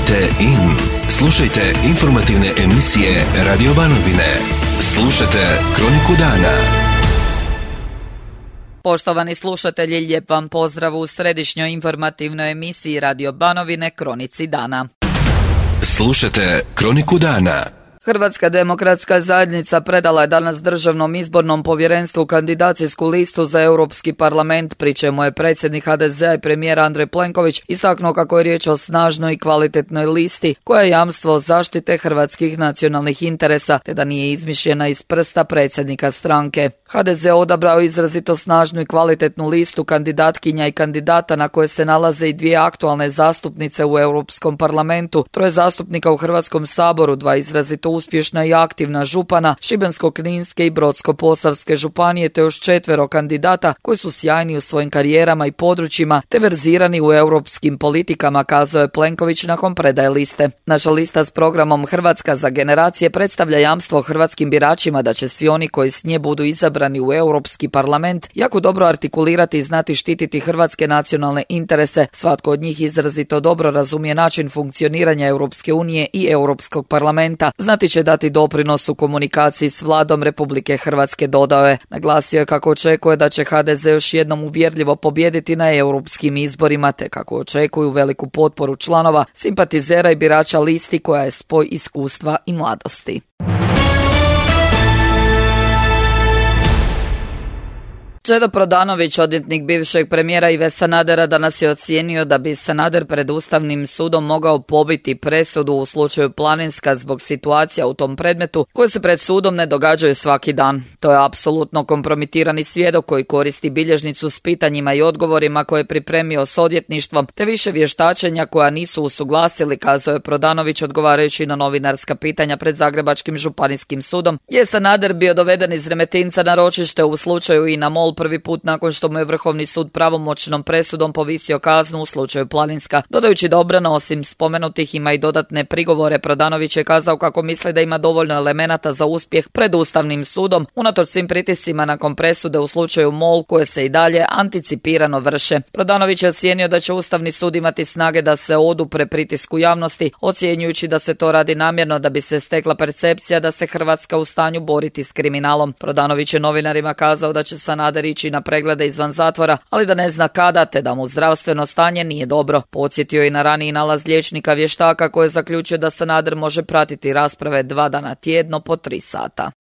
Tunite in. Slušajte informativne emisije Radio Banovine. Slušajte Kroniku dana. Poštovani slušatelji, lijep vam pozdrav u središnjoj informativnoj emisiji Radio Banovine Kronici dana. Slušajte Kroniku dana. Hrvatska demokratska zajednica predala je danas Državnom izbornom povjerenstvu kandidacijsku listu za Europski parlament, pri čemu je predsjednik HDZ-a i premijer Andrej Plenković istaknuo kako je riječ o snažnoj i kvalitetnoj listi koja je jamstvo zaštite hrvatskih nacionalnih interesa, te da nije izmišljena iz prsta predsjednika stranke. HDZ odabrao izrazito snažnu i kvalitetnu listu kandidatkinja i kandidata na koje se nalaze i dvije aktualne zastupnice u Europskom parlamentu, troje zastupnika u Hrvatskom saboru, dva izrazito uspješna i aktivna župana Šibensko-kninske i Brodsko-posavske županije, te još 4 kandidata koji su sjajni u svojim karijerama i područjima te verzirani u europskim politikama, kazao je Plenković nakon predaje liste. Naša lista s programom Hrvatska za generacije predstavlja jamstvo hrvatskim biračima da će svi oni koji s nje budu izabrani u Europski parlament jako dobro artikulirati i znati štititi hrvatske nacionalne interese. Svatko od njih izrazito dobro razumije način funkcioniranja Europske unije i Europskog parlamenta. Znati će dati doprinos u komunikaciji s vladom Republike Hrvatske, dodao je. Naglasio je kako očekuje da će HDZ još jednom uvjerljivo pobijediti na europskim izborima, te kako očekuju veliku potporu članova, simpatizera i birača listi koja je spoj iskustva i mladosti. Čedo Prodanović, odvjetnik bivšeg premijera Ive Sanadera, danas je ocijenio da bi Sanader pred Ustavnim sudom mogao pobiti presudu u slučaju Planinska zbog situacija u tom predmetu koje se pred sudom ne događaju svaki dan. To je apsolutno kompromitirani svjedok koji koristi bilježnicu s pitanjima i odgovorima koje je pripremio s odvjetništvom, te više vještačenja koja nisu usuglasili, kazao je Prodanović odgovarajući na novinarska pitanja pred Zagrebačkim županijskim sudom, gdje je Sanader bio doveden iz Remetinca na ročište u slučaju INA MOL prvi put nakon što mu je Vrhovni sud pravomoćnom presudom povisio kaznu u slučaju Planinska. Dodajući da obrana osim spomenutih ima i dodatne prigovore, Prodanović je kazao kako misli da ima dovoljno elemenata za uspjeh pred Ustavnim sudom, unatoč svim pritiscima nakon presude u slučaju MOL koje se i dalje anticipirano vrše. Prodanović je ocijenio da će Ustavni sud imati snage da se odupre pritisku javnosti, ocjenjujući da se to radi namjerno da bi se stekla percepcija da se Hrvatska u stanju boriti s kriminalom. Prodanović je novinarima kazao da će Sanader ići na preglede izvan zatvora, ali da ne zna kada, te da mu zdravstveno stanje nije dobro. Podsjetio je na raniji nalaz liječnika vještaka koji je zaključio da Sanader može pratiti rasprave 2 dana tjedno po 3 sata.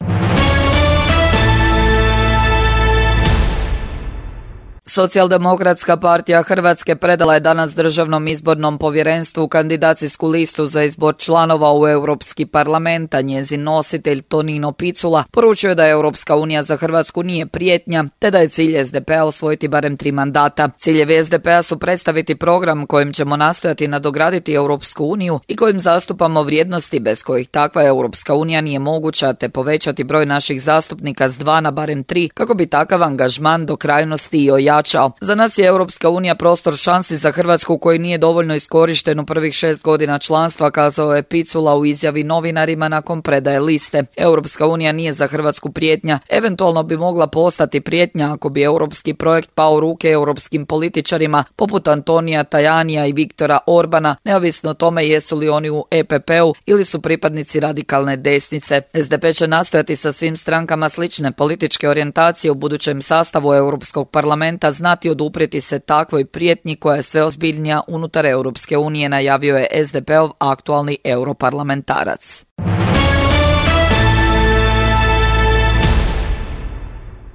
Socijaldemokratska partija Hrvatske predala je danas Državnom izbornom povjerenstvu kandidacijsku listu za izbor članova u Europski parlament, a njezin nositelj Tonino Picula poručio je da Europska unija za Hrvatsku nije prijetnja, te da je cilj SDP-a osvojiti barem 3 mandata. Ciljevi SDP-a su predstaviti program kojim ćemo nastojati nadograditi Europsku uniju i kojim zastupamo vrijednosti bez kojih takva Europska unija nije moguća, te povećati broj naših zastupnika s 2 na barem 3 kako bi takav angažman do krajnosti i ojačao. Za nas je Europska unija prostor šansi za Hrvatsku koji nije dovoljno iskorišten u prvih 6 godina članstva, kazao je Picula u izjavi novinarima nakon predaje liste. Europska unija nije za Hrvatsku prijetnja, eventualno bi mogla postati prijetnja ako bi europski projekt pao u ruke europskim političarima poput Antonija Tajanija i Viktora Orbana, neovisno o tome jesu li oni u EPP-u ili su pripadnici radikalne desnice. SDP će nastojati sa svim strankama slične političke orijentacije u budućem sastavu Europskog parlamenta znati oduprijeti se takvoj prijetnji koja je sve ozbiljnija unutar Europske unije, najavio je SDP-ov aktualni europarlamentarac.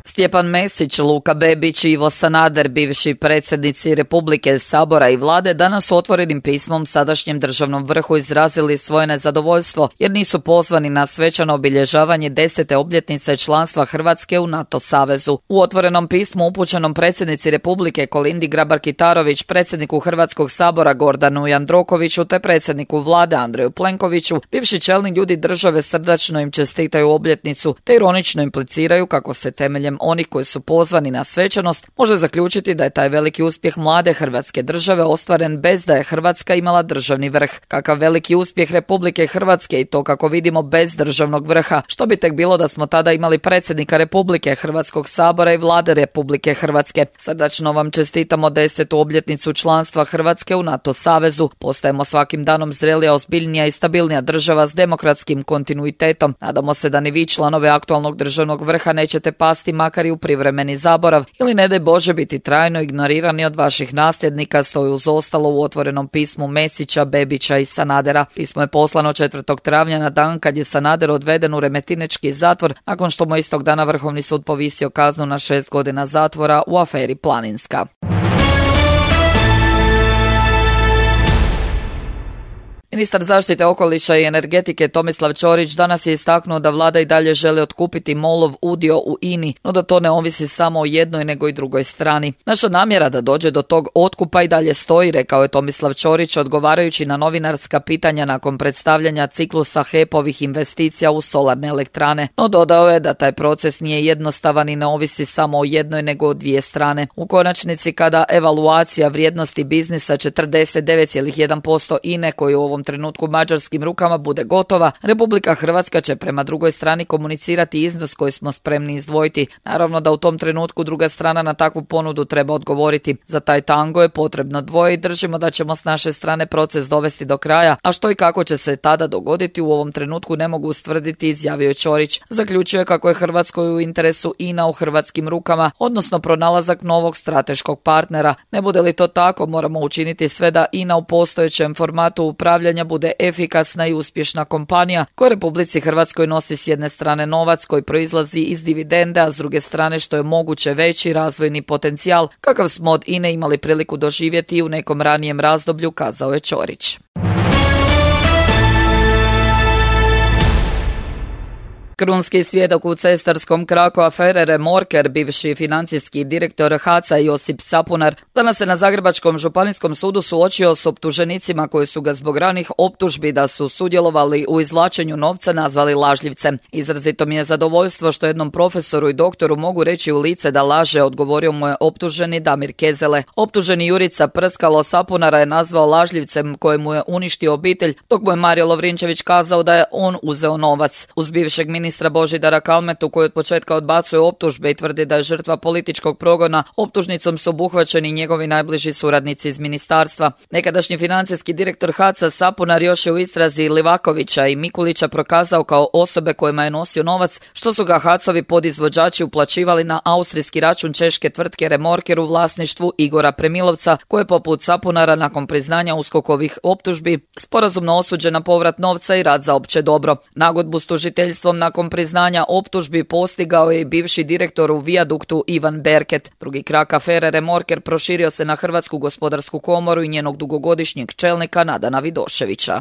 Stjepan Mesić, Luka Bebić i Ivo Sanader, bivši predsjednici Republike, Sabora i Vlade, danas otvorenim pismom sadašnjem državnom vrhu izrazili svoje nezadovoljstvo jer nisu pozvani na svečano obilježavanje 10. obljetnice članstva Hrvatske u NATO savezu. U otvorenom pismu upućenom predsjednici Republike Kolindi Grabar-Kitarović, predsjedniku Hrvatskog sabora Gordanu Jandrokoviću te predsjedniku Vlade Andreju Plenkoviću, bivši čelni ljudi države srdačno im čestitaju obljetnicu te ironično impliciraju kako se temeljem onih koji su pozvani na svečanost, može zaključiti da je taj veliki uspjeh mlade Hrvatske države ostvaren bez da je Hrvatska imala državni vrh. Kakav veliki uspjeh Republike Hrvatske i to kako vidimo bez državnog vrha. Što bi tek bilo da smo tada imali predsjednika Republike, Hrvatskog sabora i vlade Republike Hrvatske. Srdačno vam čestitamo 10. obljetnicu članstva Hrvatske u NATO savezu. Postajemo svakim danom zrelija, ozbiljnija i stabilnija država s demokratskim kontinuitetom. Nadamo se da ni vi, članove aktualnog državnog vrha, nećete pasti makar i u privremeni zaborav ili ne daj Bože biti trajno ignorirani od vaših nasljednika, stoji uz ostalo u otvorenom pismu Mesića, Bebića i Sanadera. Pismo je poslano 4. travnja na dan kad je Sanader odveden u remetinečki zatvor nakon što mu istog dana Vrhovni sud povisio kaznu na 6 godina zatvora u aferi Planinska. Ministar zaštite okoliša i energetike Tomislav Ćorić danas je istaknuo da vlada i dalje želi otkupiti MOL-ov udio u INI, no da to ne ovisi samo o jednoj nego i drugoj strani. Naša namjera da dođe do tog otkupa i dalje stoji, rekao je Tomislav Ćorić odgovarajući na novinarska pitanja nakon predstavljanja ciklusa HEP-ovih investicija u solarne elektrane, no dodao je da taj proces nije jednostavan i ne ovisi samo o jednoj nego o dvije strane. U konačnici, kada evaluacija vrijednosti biznisa 49,1% INE koju u ovom trenutku mađarskim rukama bude gotova, Republika Hrvatska će prema drugoj strani komunicirati iznos koji smo spremni izdvojiti. Naravno da u tom trenutku druga strana na takvu ponudu treba odgovoriti. Za taj tango je potrebno dvoje i držimo da ćemo s naše strane proces dovesti do kraja, a što i kako će se tada dogoditi u ovom trenutku ne mogu ustvrditi, izjavio je Ćorić. Zaključio je kako je Hrvatskoj u interesu INA u hrvatskim rukama, odnosno pronalazak novog strateškog partnera. Ne bude li to tako, moramo učiniti sve da INA u postojećem formatu upravljanja bude efikasna i uspješna kompanija koja Republici Hrvatskoj nosi s jedne strane novac koji proizlazi iz dividende, a s druge strane što je moguće veći razvojni potencijal kakav smo od INE imali priliku doživjeti u nekom ranijem razdoblju, kazao je Ćorić. Krunski svjedok u cestarskom kraku afere Remorker, bivši financijski direktor HAC-a Josip Sapunar, danas se na Zagrebačkom županijskom sudu suočio s optuženicima koji su ga zbog ranih optužbi da su sudjelovali u izvlačenju novca nazvali lažljivcem. Izrazito mi je zadovoljstvo što jednom profesoru i doktoru mogu reći u lice da laže, odgovorio mu je optuženi Damir Kezele. Optuženi Jurica Prskalo Sapunara je nazvao lažljivcem kojemu je uništio obitelj, dok mu je Mario Lovrinčević kazao da je on uzeo novac. Uz bivšeg ministra Božidara Kalmetu, koji od početka odbacuje optužbe i tvrdi da je žrtva političkog progona, optužnicom su obuhvaćeni njegovi najbliži suradnici iz ministarstva. Nekadašnji financijski direktor HAC-a Sapunar još je u istrazi Livakovića i Mikulića prokazao kao osobe kojima je nosio novac, što su ga HAC-ovi podizvođači uplaćivali na austrijski račun češke tvrtke Remorker u vlasništvu Igora Premilovca, koji je poput Sapunara nakon priznanja USKOK-ovih optužbi sporazumno osuđen na povrat novca i rad za opće dobro. Nagodbu s tužiteljstvom nakon priznanja optužbi postigao je i bivši direktor u Vijaduktu Ivan Berket. Drugi krak afere Remorker proširio se na Hrvatsku gospodarsku komoru i njenog dugogodišnjeg čelnika Nadana Vidoševića.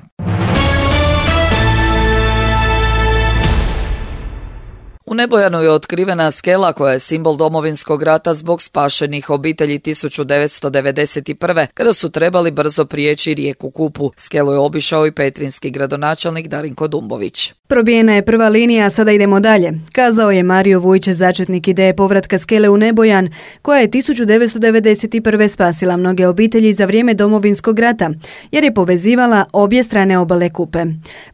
U Nebojanu je otkrivena skela koja je simbol Domovinskog rata zbog spašenih obitelji 1991. kada su trebali brzo prijeći rijeku Kupu. Skelu je obišao i petrinjski gradonačelnik Darinko Dumbović. Probijena je prva linija, a sada idemo dalje, kazao je Mario Vujčić, začetnik ideje povratka skele u Nebojan, koja je 1991. spasila mnoge obitelji za vrijeme Domovinskog rata, jer je povezivala obje strane obale Kupe.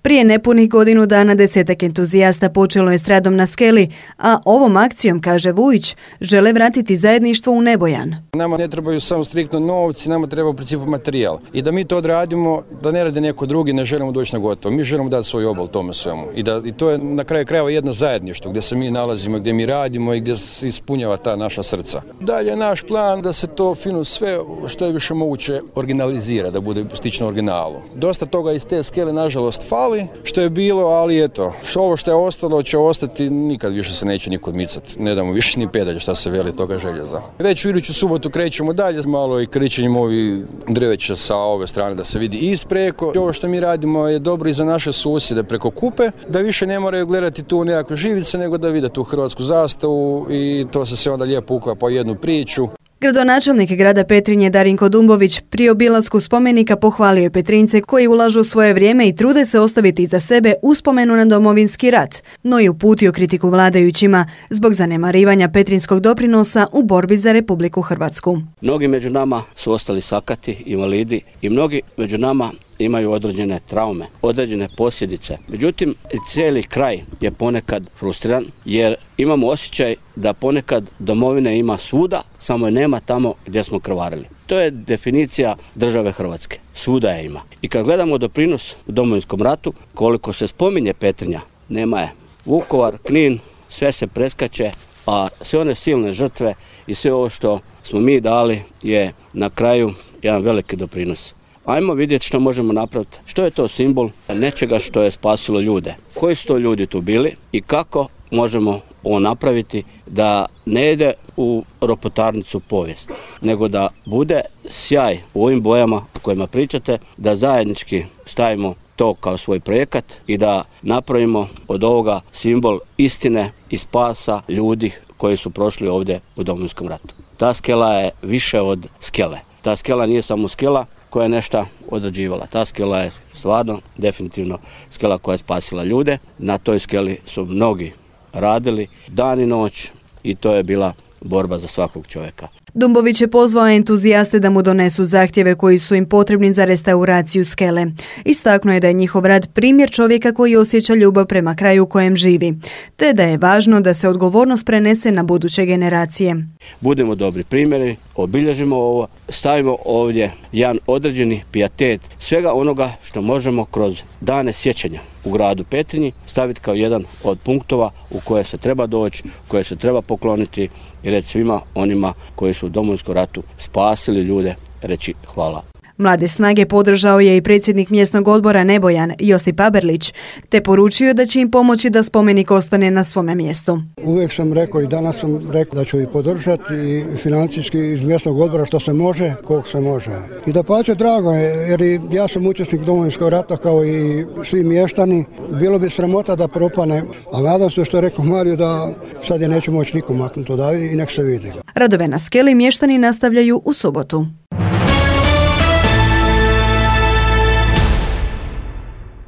Prije nepunih godinu dana 10 entuzijasta počelo je s radom na skeli, a ovom akcijom, kaže Vujić, žele vratiti zajedništvo u Nebojan. Nama ne trebaju samo striktno novci, nama treba u principu materijal. I da mi to odradimo, da ne radi neko drugi, ne želimo doći na gotovo. Mi želimo dati svoj obol tome svemu. I to je na kraju krajeva jedno zajedništvo gdje se mi nalazimo, gdje mi radimo i gdje se ispunjava ta naša srca. Dalje naš plan da se to fino sve što je više moguće originalizira, da bude stično originalu. Dosta toga iz te skele nažalost fali, što je bilo, ali eto, ovo što je ostalo će ostati, nikad više se neće niko odmicati. Ne damo više ni pedalja šta se veli toga željeza. Već u iduću subotu krećemo dalje, malo i kričenjem ovi drveća sa ove strane da se vidi ispreko. Ovo što mi radimo je dobro i za naše susjede preko Kupe, da više ne moraju gledati tu nekakve živice, nego da vide tu hrvatsku zastavu i to se sve onda lijepo uklapa u jednu priču. Gradonačelnik grada Petrinje Darinko Dumbović pri obilasku spomenika pohvalio je Petrinjce koji ulažu svoje vrijeme i trude se ostaviti iza sebe uspomenu na Domovinski rat, no i uputio kritiku vladajućima zbog zanemarivanja petrinjskog doprinosa u borbi za Republiku Hrvatsku. Mnogi među nama su ostali sakati, invalidi i mnogi među nama imaju određene traume, određene posljedice. Međutim, cijeli kraj je ponekad frustriran jer imamo osjećaj da ponekad domovine ima svuda, samo je nema tamo gdje smo krvarili. To je definicija države Hrvatske. Svuda je ima. I kad gledamo doprinos u Domovinskom ratu, koliko se spominje Petrinja, nema je. Vukovar, Knin, sve se preskače, a sve one silne žrtve i sve ovo što smo mi dali je na kraju jedan veliki doprinos. Ajmo vidjeti što možemo napraviti. Što je to simbol nečega što je spasilo ljude? Koji su to ljudi tu bili i kako možemo ovo napraviti da ne ide u ropotarnicu povijesti, nego da bude sjaj u ovim bojama o kojima pričate, da zajednički stavimo to kao svoj projekat i da napravimo od ovoga simbol istine i spasa ljudi koji su prošli ovdje u Domovinskom ratu. Ta skela je više od skele. Ta skela nije samo skela koja je nešto odrađivala. Ta skela je stvarno, definitivno skela koja je spasila ljude. Na toj skeli su mnogi radili dan i noć i to je bila borba za svakog čovjeka. Dumbović je pozvao entuzijaste da mu donesu zahtjeve koji su im potrebni za restauraciju skele. Istaknuo je da je njihov rad primjer čovjeka koji osjeća ljubav prema kraju u kojem živi, te da je važno da se odgovornost prenese na buduće generacije. Budemo dobri primjeri, obilježimo ovo, stavimo ovdje jedan određeni pijetet svega onoga što možemo kroz dane sjećanja u gradu Petrinji staviti kao jedan od punktova u koje se treba doći, u koje se treba pokloniti i reći svima onima koji su u Domovinskom ratu spasili ljude, reći hvala. Mlade snage podržao je i predsjednik mjesnog odbora Nebojan Josip Aberlić, te poručio da će im pomoći da spomenik ostane na svome mjestu. Uvijek sam rekao i danas sam rekao da ću ih podržati i financijski iz mjesnog odbora što se može, koliko se može. I da pače drago je, jer i ja sam učesnik Domovinskog rata kao i svi mještani. Bilo bi sramota da propane, a nadam se što je rekao Mario da sad je neće moći nikom maknuti odavde i nek se vidi. Radove na skeli mještani nastavljaju u subotu.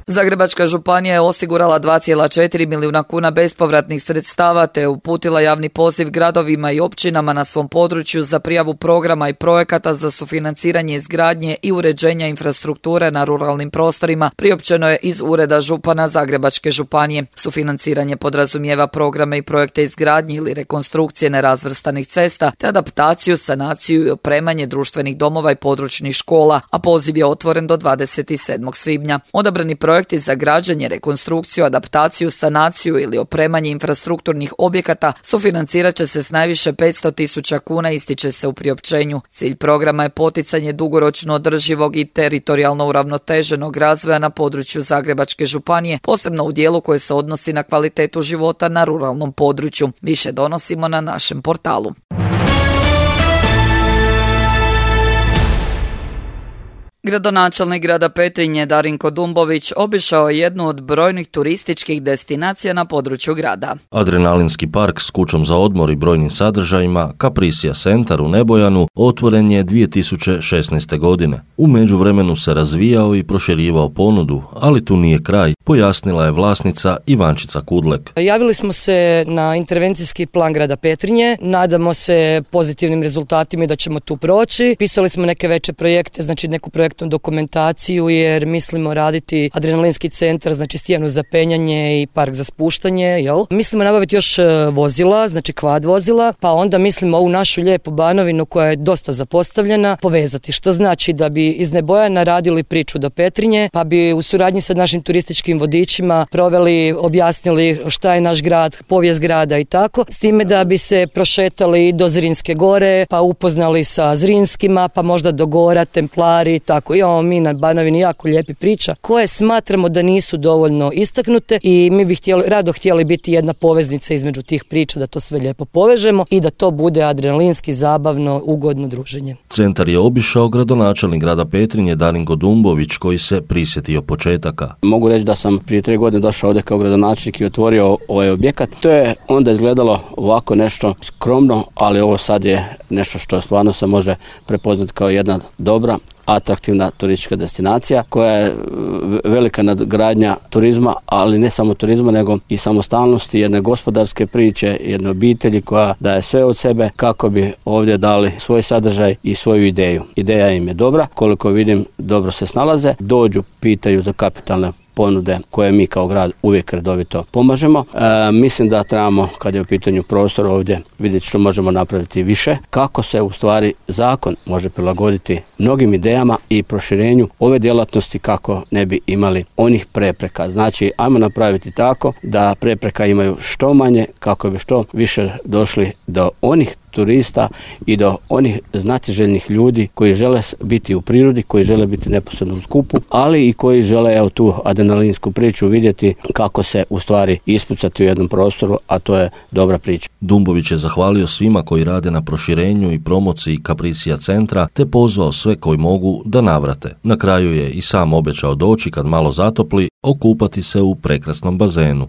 Zagrebačka županija je osigurala 2,4 milijuna kuna bespovratnih sredstava te uputila javni poziv gradovima i općinama na svom području za prijavu programa i projekata za sufinanciranje izgradnje i uređenja infrastrukture na ruralnim prostorima, priopćeno je iz Ureda župana Zagrebačke županije. Sufinanciranje podrazumijeva programe i projekte izgradnje ili rekonstrukcije nerazvrstanih cesta te adaptaciju, sanaciju i opremanje društvenih domova i područnih škola, a poziv je otvoren do 27. svibnja. Odabrani projekti za građenje, rekonstrukciju, adaptaciju, sanaciju ili opremanje infrastrukturnih objekata sufinancirat će se s najviše 500.000 kuna, ističe se u priopćenju. Cilj programa je poticanje dugoročno održivog i teritorijalno uravnoteženog razvoja na području Zagrebačke županije, posebno u dijelu koji se odnosi na kvalitetu života na ruralnom području. Više donosimo na našem portalu. Gradonačelnik grada Petrinje Darinko Dumbović obišao je jednu od brojnih turističkih destinacija na području grada. Adrenalinski park s kućom za odmor i brojnim sadržajima Capricia Centar u Nebojanu otvoren je 2016. godine. U međuvremenu se razvijao i proširivao ponudu, ali tu nije kraj, pojasnila je vlasnica Ivančica Kudlek. Javili smo se na intervencijski plan grada Petrinje, nadamo se pozitivnim rezultatima i da ćemo tu proći. Pisali smo neke veće projekte, znači neku projektnu dokumentaciju jer mislimo raditi adrenalinski centar, znači stijenu za penjanje i park za spuštanje, jel? Mislimo nabaviti još vozila, znači kvad vozila, pa onda mislimo ovu našu lijepu Banovinu koja je dosta zapostavljena povezati, što znači da bi iz Nebojana radili priču do Petrinje, pa bi u suradnji sa našim turističkim vodičima proveli, objasnili šta je naš grad, povijest grada i tako, s time da bi se prošetali do Zrinske gore, pa upoznali sa Zrinskima, pa možda do Gora, Templari i tako. Imamo mi na Banovini jako lijepi priča koje smatramo da nisu dovoljno istaknute i mi bi rado htjeli biti jedna poveznica između tih priča, da to sve lijepo povežemo i da to bude adrenalinski, zabavno, ugodno druženje. Centar je obišao gradonačelnik grada Petrinje Darinko Dumbović koji se prisjetio početaka. Mogu reći da sam prije 3 godine došao ovdje kao gradonačelnik i otvorio ovaj objekat. To je onda izgledalo ovako nešto skromno, ali ovo sad je nešto što stvarno se može prepoznati kao jedna dobra, atraktivna turistička destinacija koja je velika nadgradnja turizma, ali ne samo turizma nego i samostalnosti, jedne gospodarske priče, jedne obitelji koja daje sve od sebe kako bi ovdje dali svoj sadržaj i svoju ideju. Ideja im je dobra, koliko vidim dobro se snalaze, dođu, pitaju za kapitalne ponude koje mi kao grad uvijek redovito pomažemo. Mislim da trebamo, kad je u pitanju prostor ovdje, vidjeti što možemo napraviti više, kako se u stvari zakon može prilagoditi mnogim idejama i proširenju ove djelatnosti kako ne bi imali onih prepreka. Znači, ajmo napraviti tako da prepreka imaju što manje kako bi što više došli do onih turista i do onih znatiželjnih ljudi koji žele biti u prirodi, koji žele biti neposredno u skupu, ali i koji žele tu adrenalinsku priču vidjeti kako se u stvari ispucati u jednom prostoru, a to je dobra priča. Dumbović je zahvalio svima koji rade na proširenju i promociji Capricia centra, te pozvao sve koji mogu da navrate. Na kraju je i sam obećao doći kad malo zatopli, okupati se u prekrasnom bazenu.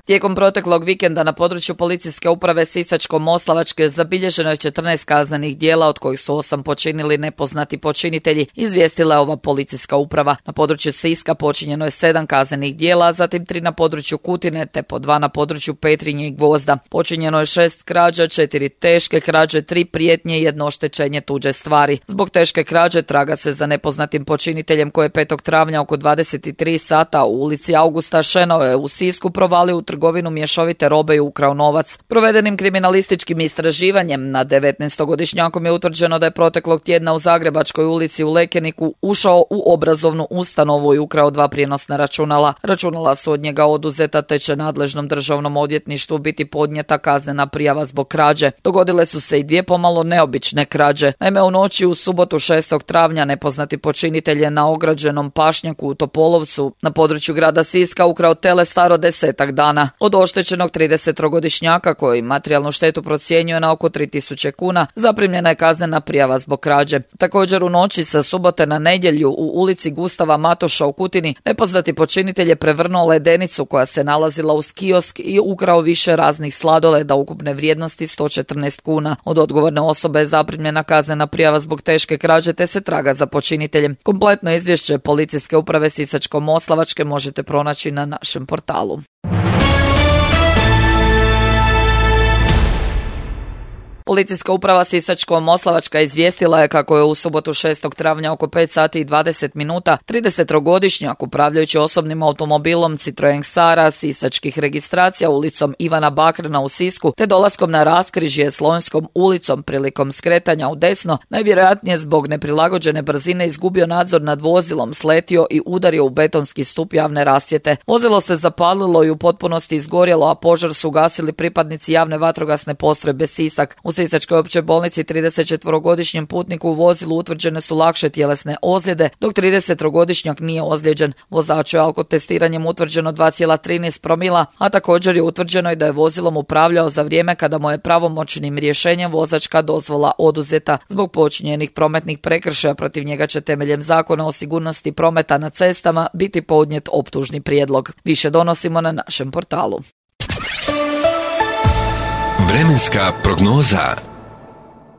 Tijekom proteklog vikenda na području policijske uprave Sisačko-moslavačke zabilježeno je 14 kaznenih djela, od kojih su 8 počinili nepoznati počinitelji, izvijestila je ova policijska uprava. Na području Siska počinjeno je 7 kaznenih djela, zatim 3 na području Kutine, te po 2 na području Petrinje i Gvozda. Počinjeno je 6 krađa, 4 teške krađe, 3 prijetnje i 1 oštećenje tuđe stvari. Zbog teške krađe traga se za nepoznatim počiniteljem koji je 5. travnja oko 23 sata u ulici Augusta Šenove u Sisku provalio u trgovinu mješovite robe i ukrao novac. Provedenim kriminalističkim istraživanjem nad 19-godišnjakom je utvrđeno da je proteklog tjedna u Zagrebačkoj ulici u Lekeniku ušao u obrazovnu ustanovu i ukrao 2 prijenosna računala. Računala su od njega oduzeta, te će nadležnom državnom odvjetništvu biti podnijeta kaznena prijava zbog krađe. Dogodile su se i 2 pomalo neobične krađe. Naime, u noći u subotu 6. travnja nepoznati počinitelj je na ograđenom pašnjaku u Topolovcu na području grada Siska ukrao tele staro 10 dana. Od oštećenog 30-godišnjaka koji materijalnu štetu procjenjuje na oko 3000 kuna, zaprimljena je kaznena prijava zbog krađe. Također u noći sa subote na nedjelju u ulici Gustava Matoša u Kutini nepoznati počinitelj je prevrnuo ledenicu koja se nalazila uz kiosk i ukrao više raznih sladoleda ukupne vrijednosti 114 kuna. Od odgovorne osobe je zaprimljena kaznena prijava zbog teške krađe, te se traga za počiniteljem. Kompletno izvješće policijske uprave Sisačko-moslavačke možete pronaći na našem portalu. Policijska uprava Sisačko-moslavačka izvijestila je kako je u subotu 6. travnja oko 5 sati i 20 minuta 30-godišnjak upravljajući osobnim automobilom Citroen Xara sisačkih registracija ulicom Ivana Bakrana u Sisku te dolaskom na raskrižje Slonjskom ulicom prilikom skretanja u desno, najvjerojatnije zbog neprilagođene brzine izgubio nadzor nad vozilom, sletio i udario u betonski stup javne rasvjete. Vozilo se zapalilo i u potpunosti izgorjelo, a požar su ugasili pripadnici javne vatrogasne postrojbe Sisak. U Sisačkoj općoj bolnici 34-godišnjem putniku u vozilu utvrđene su lakše tjelesne ozljede, dok 30-godišnjak nije ozlijeđen. Vozaču je alkotestiranjem utvrđeno 2,13 promila, a također je utvrđeno i da je vozilom upravljao za vrijeme kada mu je pravomoćnim rješenjem vozačka dozvola oduzeta. Zbog počinjenih prometnih prekršaja protiv njega će temeljem Zakona o sigurnosti prometa na cestama biti podnijet optužni prijedlog. Više donosimo na našem portalu. Vremenska prognoza.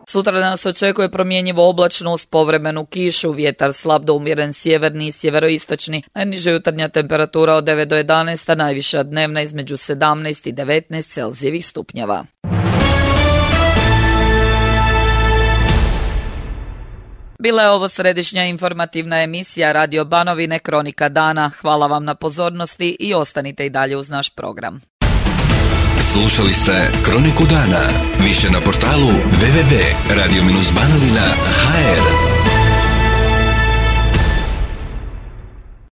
Sutra nas očekuje promjenjivo oblačno uz povremenu kišu, vjetar slab do umjeren sjeverni i sjeveroistočni, najniža jutarnja temperatura od 9 do 11, a najviša dnevna između 17 i 19 Celzijevih stupnjeva. Bila je ovo središnja informativna emisija Radio Banovine Kronika dana. Hvala vam na pozornosti i ostanite i dalje uz naš program. Slušali ste Kroniku dana. Više na portalu www.radio-banovina.hr.